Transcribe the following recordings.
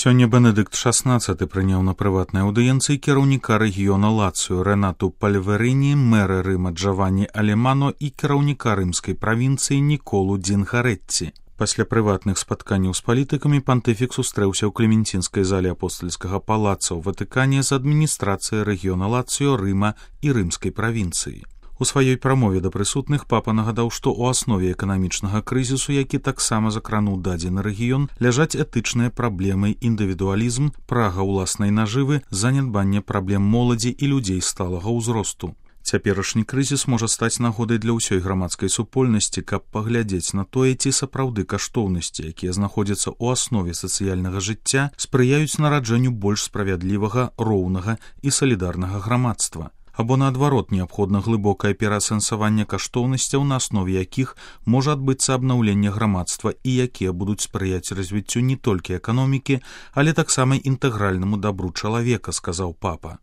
Сёння Бенедыкт XVI прыняў на прыватнай аўдыенцыі кіраўніка рэгіёна Лацыё Рэнату Пальверіні, мэра Рыма Джаванні Алемано і кіраўніка рымскай правінцыі Ніколу Дзінгарэтці. Пасля прыватных спатканняў з палітыкамі пантыфік сустрэўся ў клементинскай зале апостальскага палаца ў Ватыкане з адміністрацыяй рэгіёна Лацыё, Рыма і рымскай правінцыі. У сваёй прамове да прысутных папа нагадаў, што ў аснове эканамічнага крызісу, які таксама закрануў дадзены рэгіён, ляжаць этычныя праблемы, індывідуалізм, прага ўласнай нажывы, занядбанне праблем моладзі і людзей сталага ўзросту. Цяперашні крызіс можа стаць нагодай для ўсёй грамадскай супольнасці, каб паглядзець на тое, ці сапраўды каштоўнасці, якія знаходзяцца ў аснове сацыяльнага жыцця, спрыяюць нараджэнню больш справядлівага, роўнага і салідарнага грамадства. Або, наадварот, неабходна глыбокае пераасэнсаванне каштоўнасцяў, на аснове якіх можа адбыцца абнаўленне грамадства і якія будуць спрыяць развіццю не толькі эканомікі, але таксама інтэгральнаму дабру чалавека, сказаў папа.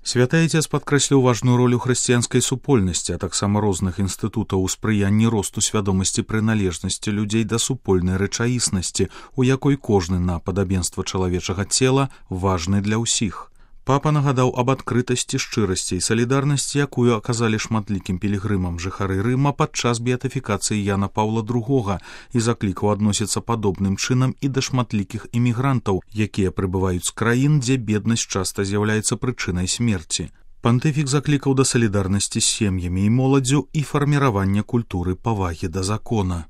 Святы Айцец падкрэсліў важную ролю хрысціянскай супольнасці, а таксама розных інстытутаў у спрыянні росту свядомасці прыналежнасці людзей да супольнай рэчаіснасці, у якой кожны на падабенства чалавечага цела важны для ўсіх. Папа нагадаў аб адкрытасці, шчырасці і салідарнасці, якую аказалі шматлікім пілігрымам жыхары Рыма падчас беатыфікацыі Яна Паўла II і заклікаў адносіцца падобным чынам і да шматлікіх імігрантаў, якія прыбываюць з краін, дзе беднасць часта з'яўляецца прычынай смерці. Пантыфік заклікаў да салідарнасці з сем'ямі і моладдзю і фарміравання культуры павагі да закона.